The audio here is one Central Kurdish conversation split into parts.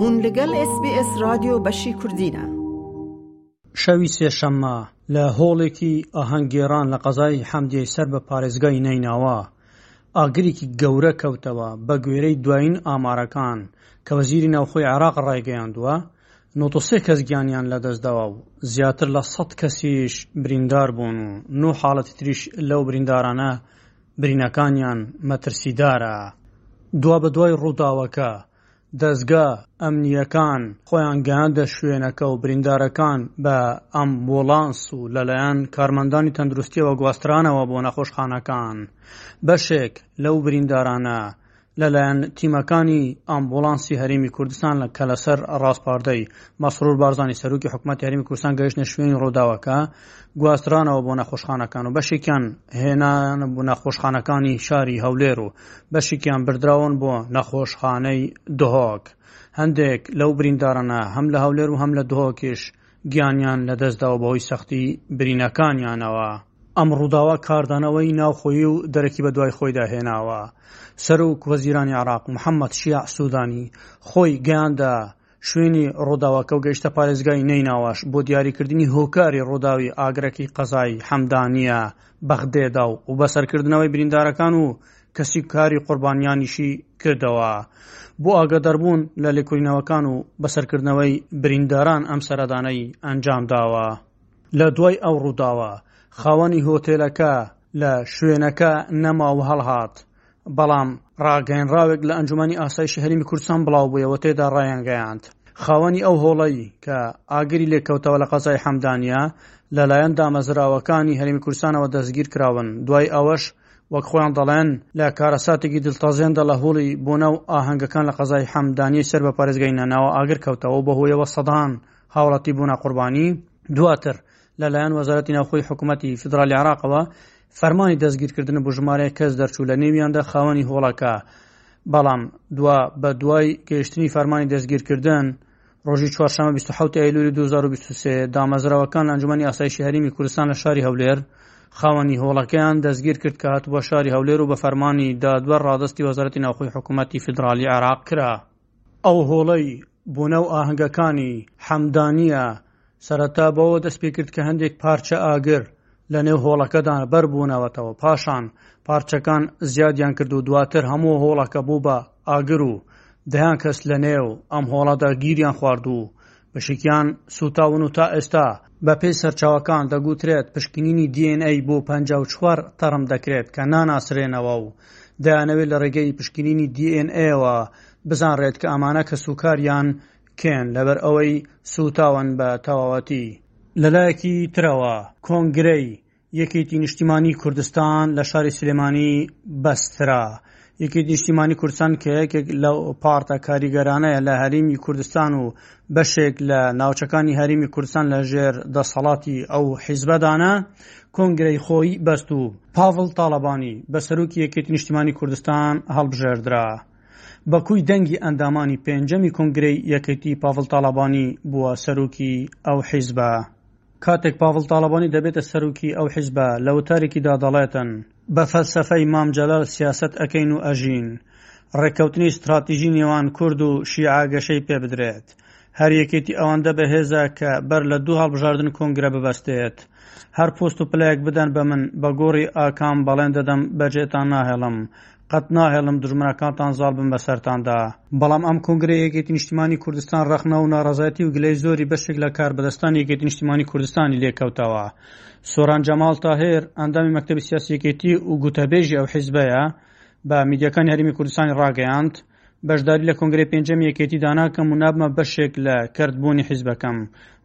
هون لەگەل ئێس بی ئێس رادیۆ بەشی کوردینە. شەوی سێشەممە لە هۆڵێکی ئاهەنگگێڕان لە قەزای حەمدیەی سەر بە پارێزگای نەینەوا ئاگرێکی گەورە کەوتەوە، بەگوێرەی دوایین ئامارەکان کە وەزیری ناوخۆی عێراق ڕایگەیاندووە، 93 کەس گیانیان لەدەستداوە و زیاتر لە 100 کەسیش بریندار بوون و نۆ حاڵەتی تریش لەو بریندارانە برینەکانیان مەترسیدارە. دوابەدوای ڕووداوەکە، دەزگا ئەمنییەکان خۆیان گەیاندە شوێنەکە و بریندارەکان بە ئەمبوڵانس و لەلایەن کارمەندانی تەندروستییەوە گواسترانەوە بۆ نەخۆشخانەکان. بەشێک لەو بریندارانە لەلایەن تیمەکانی ئامبوڵانسی هەرێمی کوردستان کە لەسەر ڕاسپاردەی مەسرور بارزانی سەرۆکی حکومەتی هەرێمی کوردستان گەیشتنە شوێنی ڕووداوەکە گواسترانەوە بۆ نەخۆشخانەکان و بەشێکیان هێنان بۆ نەخۆشخانەکانی شاری هەولێر و بەشێکیان بردراون بۆ نەخۆشخانەی دهۆک هەندێک لەو بریندارانە هەم لە هەولێر و هەم لە دهۆکیش گیانیان لەدەستداوە بەهۆی سەختی برینەکانیانەوە. ئەم ڕووداوە کاردانەوەی ناوخۆیی و دەرەکی بەدوای خۆیدا هێناوە. سەرۆک وەزیرانی عێراق محەممەد شیاع سوودانی خۆی گەیاندە شوێنی ڕووداوەکە و گەیشتە پارێزگای نەیناواش بۆ دیاریکردنی هۆکاری ڕووداوی ئاگرەکەی قەزای حەمدانیە بەغدێدا و بەسەرکردنەوەی بریندارەکان و کەسی کاری قوربانیانیشی کردەوە بۆ ئاگاداربوون لە لێکۆڵینەوەکان و بەسەرکردنەوەی برینداران ئەم سەردانەی ئەنجام داوە. لە دوای ئەو ڕووداوە خاوەنی هۆتێلەکە لە شوێنەکە نەما و هەڵهات، بەڵام ڕاگەیەنراوێک لە ئەنجومەنی ئاسایشی هەرێمی کوردستان بڵاوبوویەوە تێدا ڕایانگەیاند خاوەنی ئەو هۆڵەی کە ئاگری لێکەوتەوە لە قەزای حەمدانیە لەلایەن دامەزراوەکانی هەرێمی کوردستانەوە دەستگیرکراون دوای ئەوەش وەک خۆیان دەڵێن لە کارەساتێکی دڵتەزێندا لە هۆڵی بۆنە و ئاهەنگەکان لە قەزای حەمدانیەی سەر بە پارێزگای نەناوە ئاگر کەوتەوە و بەهۆیەوە سەدان هاوڵاتی بوونە قوربانی. دواتر لەلایەن وەزارەتی ناوخۆی حکوومەتی فیدرالی عێراقەوە فەرمانی دەستگیرکردن بۆ ژمارەیەک کەس دەرچوو لە نێویاندا خاوەنی هۆڵەکە بەڵام دوا بە دوای گەیشتنی فەرمانی دەستگیرکردن ڕۆژی چوارشەممە 27 ئەیلولی 2023 دامەزراوەکان لە ئەنجومەنی ئاسایشی هەرێمی کوردستان لە شاری هەولێر خاوەنی هۆڵەکەیان دەستگیر کرد کە هاتبووە شاری هەولێر و بە فەرمانی دادوەر ڕادەستی وەزارەتی ناوخۆی حکوومەتی فیدرالی عێراق کرا. ئەو هۆڵەی بۆنە و ئاهەنگەکانی حەمدانییە سەرەتا بەوە دەست پێکرد کە هەندێک پارچە ئاگر لە نێو هۆڵەکەدا بەربوونەوەتەوە، پاشان پارچەکان زیادیان کرد و دواتر هەموو هۆڵەکە بوو بە ئاگر و دەیان کەس لە نێو ئەم هۆڵەدا گیریان خوارد و بەشێکیان سووتاون و تا ئێستا بەپێی سەرچاوەکان دەگوترێت پشکنینی DNA بۆ 54 تەرم دەکرێت کە ناناسرێنەوە و دەیانەوێت لە ڕێگەی پشکنینی DNA ەوە بزانرێت کە ئەمانە کەسوکاریان کێن لەبەر ئەوەی سووتاون بە تەواوەتی. لەلایەکی ترەوە کۆنگرەی یەکێتی نیشتیمانی کوردستان لە شاری سلێمانی بەسترا. یەکێتی نیشتیمانی کوردستان کە یەکێک لەو پارتە کاریگەرانەیە لە هەرێمی کوردستان و بەشێک لە ناوچەکانی هەرێمی کوردستان لە ژێر دەسەڵاتی ئەو حیزبەدانە کۆنگرەی خۆی بەست و پاڤڵ تاڵەبانی بە سەرۆکی یەکێتی نیشتیمانی کوردستان هەڵبژێردرا. بە کۆی دەنگی ئەندامانی پێنجەمی کۆنگرەی یەکێتی پاڤڵ تاڵەبانی بووە سەرۆکی ئەو حیزبە. کاتێک پاڤڵ تاڵەبانی دەبێتە سەرۆکی ئەو حیزبە لە وتارێکیدا دەڵێتن، بە فەلسەفەی مام جەلال سیاسەت ئەکەین و ئەژین، ڕێککەوتنی ستراتیژی نێوان کورد و شیعە گەشەی پێبدرێت. هەر یەکێتی ئەوەندە بەهێزە کە بەر لە دوو هەڵبژاردن کۆنگرە ببەستێت. هەر پۆست و پلەیەک بدەن بە من بە گۆڕی ئاکام بەڵێن دەدەم بەجێتان ناهێڵم. قەت ناهێڵم دوژمنەکانتان زاڵ بن بەسەرتاندا. بەڵام ئەم کۆنگرەی یەکێتی نیشتیمانی کوردستان ڕەخنە و ناڕەزایەتی و گلەی زۆری بەشێک لە کاربەدەستانی یەکێتی نیشتیمانی کوردستانی لێکەوتەوە. سۆران جەماڵ تاهیر، ئەندامی مەکتەبی سیاسی یەکێتی و گوتەبێژی ئەو حیزبەیە، بە میدیاکانی هەرێمی کوردستانی ڕاگەیاند، بەشداری لە کۆنگرەی پێنجەمی یەکێتیدا ناکەم و نابمە بەشێک لە کەرتبوونی حیزبەکەم.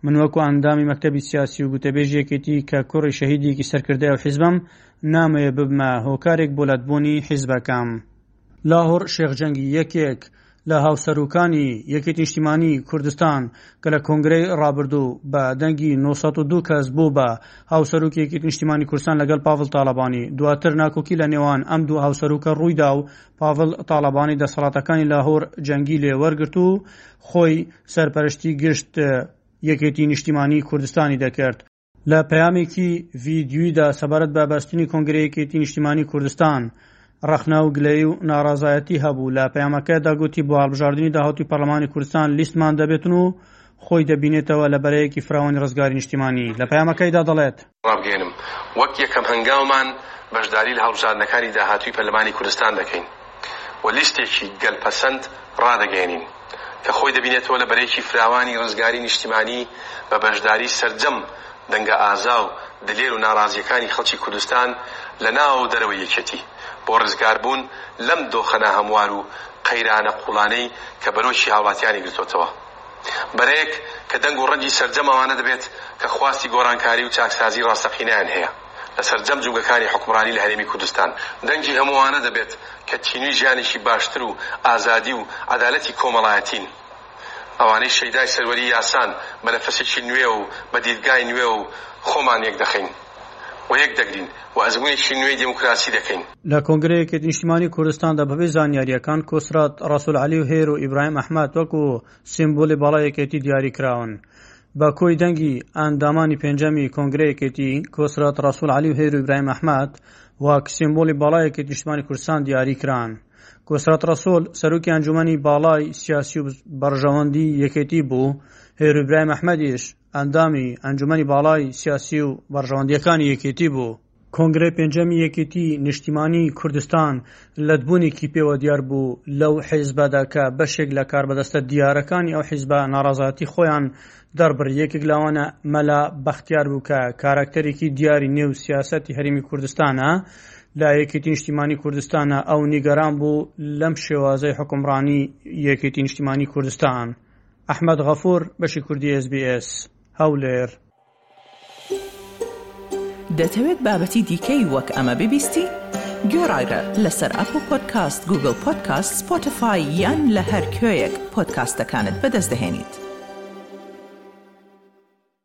من وەکو ئەندامی مەکتەبی سیاسی و گوتەبێژی یەکێتی کە کوڕی شەهیدێکی سەرکردەی ئەو حیزبەم، نامەوێ ببمە هۆکارێک بۆ لەتبوونی حیزبەکەم. لاهور شێخ جەنگی یەکێک لە هاوسەرۆکانی یەکێتی نیشتیمانی کوردستان کە لە کۆنگرەی ڕابردوو بە دەنگی 902 کەس بوو بە هاوسەرۆکی یەکێتی نیشتیمانی کوردستان لەگەڵ پاڤڵ تاڵەبانی دواتر ناکۆکی لە نێوان ئەم دوو هاوسەرۆکە ڕوویدا و پاڤڵ تاڵەبانی دەسەڵاتەکانی لاهور جەنگی لێ وەرگرت و خۆی سەرپەرشتی گشت یەکێتی نیشتیمانی کوردستانی دەکرد. لە پەیامێکی ڤیدیویدا سەبارەت بە بەستنی کۆنگرەی یەکێتی نیشتیمانی کوردستان. ڕەخنە و گلەیی و ناڕەزایەتی هەبوو. لە پەیامەکەیدا گوتی بۆ هەڵبژاردنی داهاتووی پەرلەمانی کوردستان لیستمان دەبێتن و خۆی دەبینێتەوە لە بەرەیەکی فراوانی ڕزگاری نیشتیمانی. لە پەیامەکەیدا دەڵێت. ڕابگەیەنم وەک یەکەم هەنگاومان بەشداری لە هەڵبژاردنەکانی داهاتووی پەرلەمانی کوردستان دەکەین و لیستێکی گەل پەسەند ڕادەگەیەنین کە خۆی دەبینێتەوە لە بەرەیەکی فراوانی ڕزگاری نیشتیمانی بە بەشداری سەرجەم دەنگە ئازا و دلێر و ناڕازییەکانی خەڵکی کوردستان لە ناوە و دەرەوەی یەکێتی بۆ ڕزگاربوون لەم دۆخە ناهەموار و قەیرانە قوڵانەی کە بەرۆکی هاوڵاتیانی گرتۆتەوە. بەرەیەک کە دەنگ و ڕەنگی سەرجەم ئەوانە دەبێت کە خواستی گۆڕانکاری و چاکسازی ڕاستەقینەیان هەیە لە سەرجەم جومگەکانی حوکمڕانی لە هەرێمی کوردستان. دەنگی هەموو ئەوانە دەبێت کە تینووی ژیانێکی باشتر و ئازادی و عەدالەتی کۆمەڵایەتین. ئەوانەی شەیدای سەروەری یاسان بە نەفەسێکی نوێ و بە دیدگای نوێ و خۆمان یەکدەخەین و یەکدەگرین و ئەزموونێکی نوێی دێموکراسی دەکەین. لە کۆنگرەی یەکێتی نیشتیمانی کوردستاندا بەپێی زانیارییەکان کۆسرەت ڕەسوڵ عەلی و هێرۆ ئیبراهیم ئەحمەد وەکو سیمبولی باڵای یەکێتی دیاری کراون. بە کۆی دەنگی ئەندامانی پێنجەمی کۆنگرەی یەکێتی، کۆسرەت ڕەسوڵ عەلی و هێرۆ ئیبراهیم ئەحمەد وەک سیمبولی باڵای یەکێتی نیشتیمانی کوردستان دیاری کران. کۆسرەت ڕەسوڵ سەرۆکی ئەنجومەنی باڵای سیاسی و بەرژەوەندی یەکێتی بوو، هێرۆ ئیبراهیم ئەحمەدیش ئەندامی ئەنجومەنی باڵای سیاسی و بەرژەوەندییەکانی یەکێتی بوو. کۆنگرەی پێنجەمی یەکێتی نیشتیمانی کوردستان لەتبوونێکی پێوە دیار بوو لەو حیزبەدا کە بەشێک لە کاربەدەستە دیارەکانی ئەو حیزبە ناڕەزایەتی خۆیان دەربڕی، یەکێک لەوانە مەلا بەختیار بوو کە کاراکتەرێکی دیاری نێو سیاسەتی هەرێمی کوردستانە لە یەکێتی نیشتیمانی کوردستانە، ئەو نیگەران بوو لەم شێوازەی حوکمڕانی یەکێتی نیشتیمانی کوردستان. ئەحمەد غەفور، بەشی کوردی ئێس بی ئێس، هەولێر. دەتەوێت بابەتی دیکەی وەک ئەمە ببیستی؟ گۆڕایرە لەسەر ئەپڵ پۆدکاست، گوگڵ پۆدکاست، سپۆتفای یان لە هەر کوێیەک پۆدکاستەکانت بەدەست دەهێنیت.